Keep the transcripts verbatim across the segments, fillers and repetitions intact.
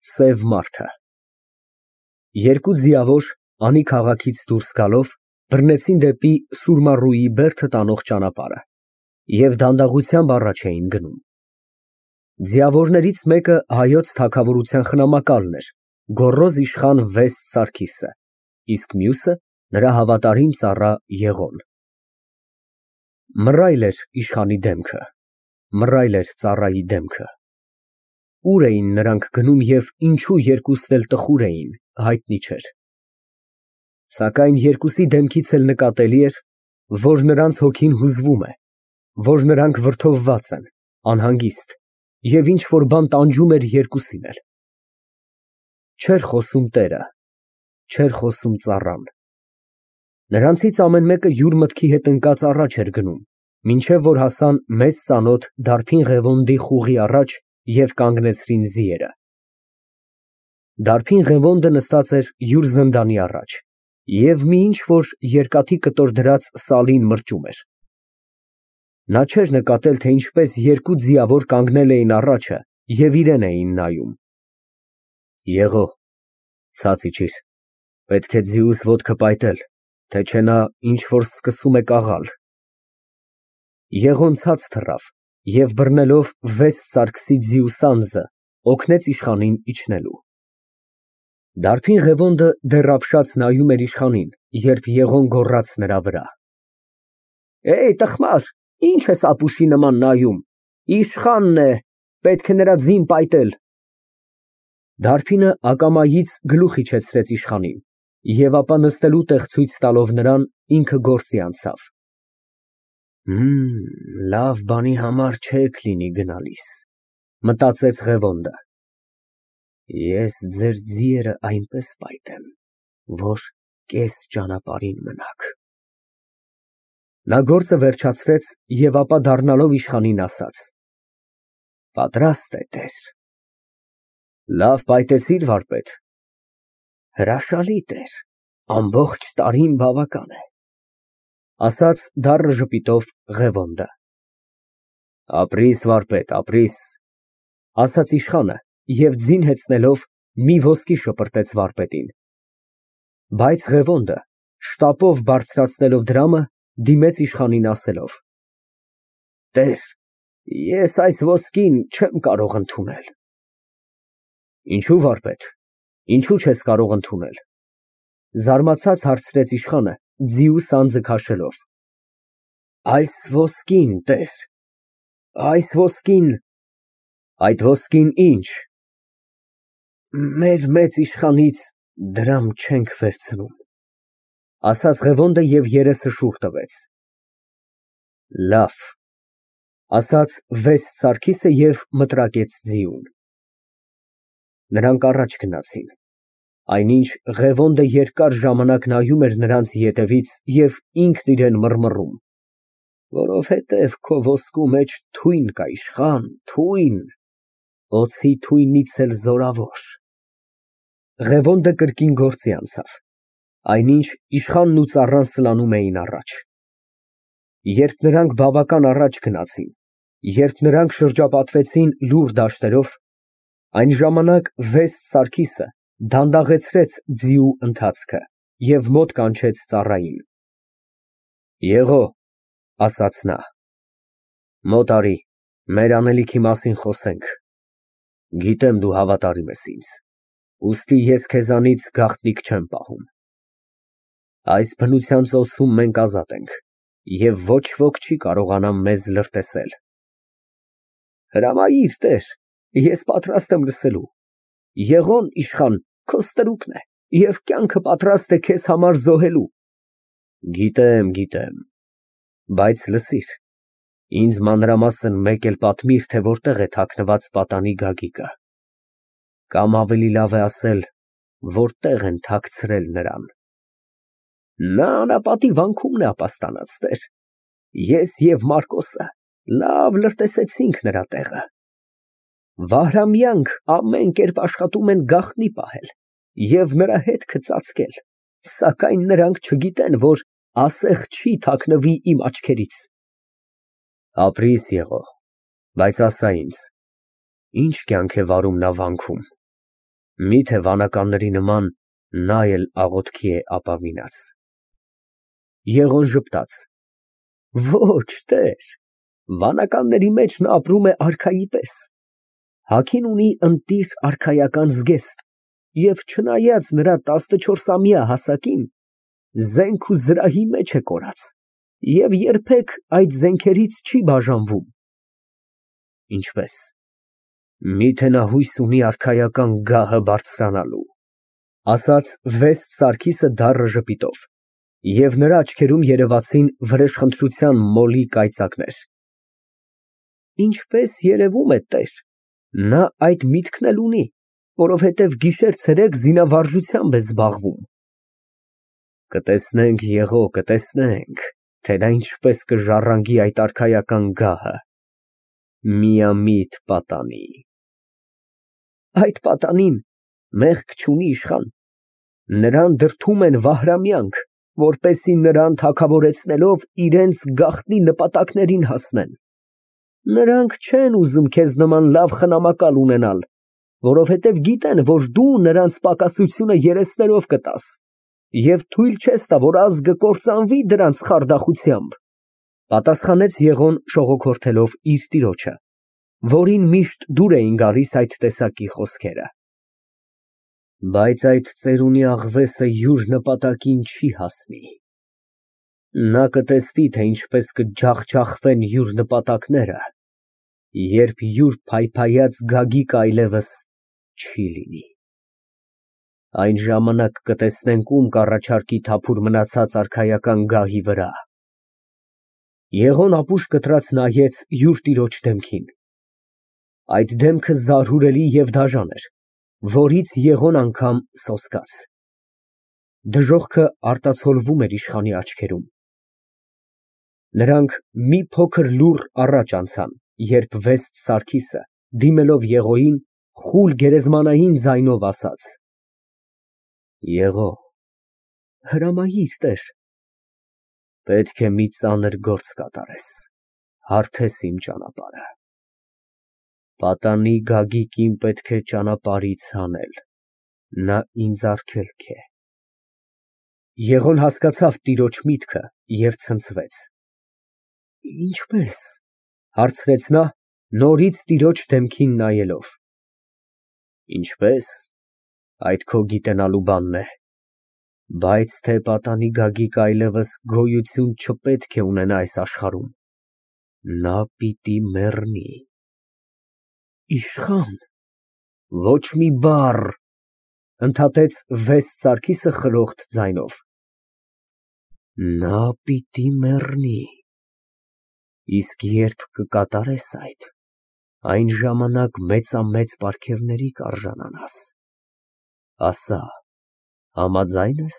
Սև մարդը։ Երկու ձիավոր Անի քաղաքից դուրս գալով բռնեցին դեպի Սուրմառուի բերդը տանող ճանապարհը և դանդաղությամբ առաջ էին գնում։ Ձիավորներից մեկը հայոց թագավորության խնամակալն էր, գոռոզ իշխան Վեստ Սարգիսը, իսկ մյուսը նրա հավատարիմ ծառա Եղոն։ Մռայլ էր իշխանի դեմքը, մռայլ էր ծառայի դեմքը։ Ուր էին նրանք գնում և ինչու երկուսն էլ տխուր էին, հայտնի չէր։ Սակայն երկուսի դեմքից էլ նկատելի էր, որ նրանց հոգին հուզվում է, որ նրանք վրդովված են, անհանգիստ և ինչ֊որ բան տանջում էր երկուսին էլ։ Չէր խոսում տերը, չէր խոսում ծառան։ Նրանցից ամեն մեկը յուր մտքի հետ ընկած առաջ էր գնում, մինչև որ հասան մեծ ծանոթ դարբին Ղևոնդի խուղի առաջ և կանգնեցրին ձիերը։ Դարբին Ղևոնդը նստած էր յուր զնդանի առաջ և մի ինչ֊որ երկաթի կտոր դրած սալին մրճում էր։ Նա չէր նկատել, թե ինչպես երկու ձիավոր կանգնել էին առաջը և իրան էին նայում։ Եղո, ցած իջիր, պետք է ձիուս ոտքը պայտել, թե չէ նա ինչ֊որ սկսում է կաղալ։ Եղոն ցած թռավ և բռնելով Վեստ Սարգսի ձիու սանձը, օգնեց իշխանին իջնելու։ Դարբին Ղևոնդը դեռ ապշած նայում էր իշխանին, երբ Եղոն գոռաց նրա վրա. Տխմար, ի՞նչ ես ապուշի նման նայում, իշխանն է, պետք է նրա ձին պայտել։ Դարբինը ակամայից գլուխ իջեցրեց իշխանին և ապա նստելու տեղ ցույց տալով նրան, ինքը գործի անցավ։ Լավ բանի համար չեք լինի գնալիս, մտածեց Ղևոնդը։ Ես ձեր ձիերը այնպես պայտեմ, որ կես ճանապարհին մնաք։ Նա գործը վերջացրեց և ապա դառնալով իշխանին ասաց. Պատրաստ է, տեր։ Լավ պայտեցի՞ր, վարպետ։ Հրաշալի, տեր, ամբողջ տարին բավական է, ասաց դառն ժպիտով Ղևոնդը։ Ապրիր, վարպետ, ապրիր, ասաց իշխանը և ձին հեծնելով մի ոսկի շպրտեց վարպետին։ Բայց Ղևոնդը, շտապով բարձրացնելով դրամը, դիմեց իշխանին ասելով. Տեր, ես այս ոսկին չեմ կարող ընդունել։ Ինչո՞ւ, վարպետ, ինչո՞ւ չես կարող ընդունել, զարմացած հարցրեց իշխանը, ձիու սանձը քաշելով։ Այս ոսկին, տեր, այս ոսկին… Այդ ոսկին ի՞նչ։ Մեր մեծ իշխանից դրամ չենք վերցնում, ասաց Ղևոնդը և երեսը շուռ տվեց։ Լավ, ասաց Վեստ Սարգիսը և մտրակեց ձիուն։ Նրանք առաջ գնացին, այնինչ Ղևոնդը երկար ժամանակ նայում էր նրանց ետևից և ինքն իրան մռմռում. Որովհետև քո ոսկու մեջ թույն կա, իշխան, թույն, օձի թույնից էլ զորավոր։ Ղևոնդը կրկին գործի անցավ, այնինչ իշխանն ու ծառան սլանում էին առաջ։ Երբ նրանք բավական առաջ գնացին, երբ նրանք շրջապատվեցին լուռ դաշտերով, այն ժամանակ Վեստ Սարգիսը դանդաղեցրեց ձիու ընթացքը և մոտ կանչեց ծառային։ Եղո, ասաց նա, մոտ արի, մեր անելիքի մասին խոսենք։ Գիտեմ դու հավատարիմ ես ինձ, ուստի ես քեզանից գաղտնիք չեմ պահում։ Այս բնության ծոցում մենք ազատ ենք, և ոչ ոք չի կարողանա մեզ լրտեսել։ Հրամայիր, տեր, ես պատրաստ եմ լսելու։ Եղոն, իշխան, քո ստրուկն է և կյանքը պատրաստ է քեզ համար զոհելու։ Գիտեմ, գիտեմ, բայց լսիր, ինձ մանրամասն մեկ էլ պատմիր, թե որտեղ է թաքնված պատանի Գագիկը, կամ ավելի լավ է ասել, որտեղ են թաքցրել նրան։ Նա անապատի վանքումն է ապաստանած, տեր, ես և Մարկոսը լավ լրտեսեցինք նրա տեղը։ Վահրամյանք ամեն կերպ աշխատում են գաղտնի պահել և նրա հետքը ծածկել, սակայն նրանք չգիտեն, որ ասեղ չի թաքնվի իմ աչքերից։ Ապրիր, Եղո, բայց ասա ինձ, ի՞նչ կյանք է վարում նա վանքում։ Միթե վանականների նման նա էլ աղոթքի է ապավինած։ Եղոն ժպտաց։ Ոչ, տեր, վանականների մեջ նա ապրում է արքայի պես։ Հագին ունի ընտիր արքայական զգեստ և չնայած նրա տասնչորսամյա հասակին, զենք ու զրահի մեջ է կորած և երբեք այդ զենքերից չի բաժանվում։ Ինչպե՞ս։ Միթե նա հույս ունի արքայական գահը բարձրանալու, ասաց վեստ Սարգիսը դառը ժպիտով, և նրա աչքերում երևացին վրեժխնդրության մոլի կայծակներ։ Ինչպես երևում է, տեր, նա այդ միտքն էլ ունի, որովհետև գիշեր֊ցերեկ զինավարժությամբ է զբաղվում։ Կտեսնենք, եղո, կտեսնենք, թե նա ինչպես կժառանգի այդ արքայական գահը։ Միամիտ պատանի։ Այդ պատանին մեղք չունի, իշխան, նրան դրդում են վահրամյանք, որպեսզի նրան թագավորեցնելով իրենց գաղտնի նպատակներին հասնեն։ Նրանք չեն ուզում քեզ նման լավ խնամակալ ունենալ, որովհետև գիտեն, որ դու նրանց պակասությունը երեսներով կտաս և թույլ չես տա, որ ազգը կործանվի դրանց խարդախությամբ, պատասխանեց Եղոն շողոքորթելով իր տիրոջը, որին միշտ դուր էին գալիս այդ տեսակի խոսքերը։ Բայց այդ ծերունի աղվեսը յուր նպատակին չի հասնի։ Նա կտեսնի, թե ինչպես կջախջախվեն յուր նպատակները, երբ յուր փայփայած գագիկը այլևս չի լինի։ Այն ժամանակ կտեսնենք ում կառաջարկի թափուր մնացած արքայական գահի վրա։ Եղոն ապուշ կտրած նայեց յուր տիրոջ դեմքին։ Այդ դեմքը զարհուրելի և դաժան էր, որից Եղոն անգամ սոսկաց։ Դժոխքը արտացոլվում էր իշխանի աչքերում։ Նրանք մի փոքր լուռ առաջ անցան, երբ վեստ Սարգիսը, դիմելով Եղոյին, խուլ գերեզմանային ձայնով ասաց. Եղո, հրամայիր, տեր։ Պետք է մի ծանր գործ կատարես, հարթես իմ ճանապարհը։ Պատանի Գագիկին պետք է ճանապարհից հանել, նա ինձ արգելք է։ Եղոն հասկացավ տիրոջ միտքը և ցնցվեց։ Ինչպե՞ս, հարցրեց նա, նորից տիրոջ դեմքին նայելով։ Ինչպե՞ս, այդ քո գիտենալու բանն է, բայց թե պատանի Գագիկը այլևս գոյություն չպետք է ունենա այս աշխարհում, նա պիտի մեռնի։ Իշխան, ոչ մի բառ, ընդհատեց վեստ Սարգիսը խրոխտ ձայնով։ Նա պիտի մեռնի։ Իսկ երբ կկատարես այդ, այն ժամանակ մեծամեծ պարգևների կարժանանաս, ասա, համաձա՞յն ես։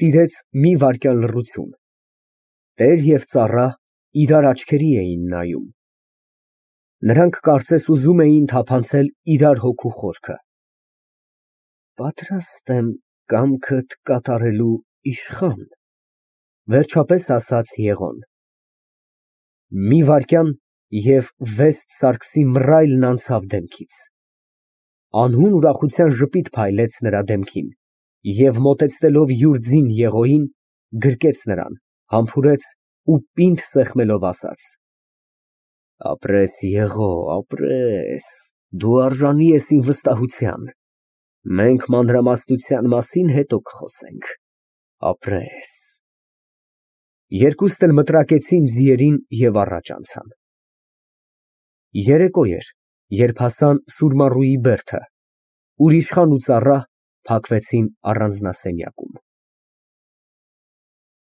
Տիրեց մի վայրկյան լռություն, տեր և ծառա իրար աչքերի էին նայում։ Նրանք կարծես ուզում էին թափանցել իրար հոգու խորքը։ Պատրաստ եմ կամքդ կատարելու, իշխան, վերջապես ասաց Եղոն։ Մի վայրկյան, և վեստ Սարգսի մռայլն անցավ դեմքից։ Անհուն ուրախության ժպիտ փայլեց նրա դեմքին և մոտեցնելով յուր ձին Եղոյին, գրկեց նրան, համբուրեց ու պինդ սեղմելով ասաց. Ապրես, Եղո, ապրես, դու արժանի ես իմ վստահության, մենք մանրամասնության մասին հետո կխոսենք, ապրես։ Երկուսն էլ մտրակեցին ձիերին և առաջ անցան։ Երեկո էր, երբ հասան Սուրմառուի բերդը, ուր իշխան ու ծառա փակվեցին առանձնասենյակում։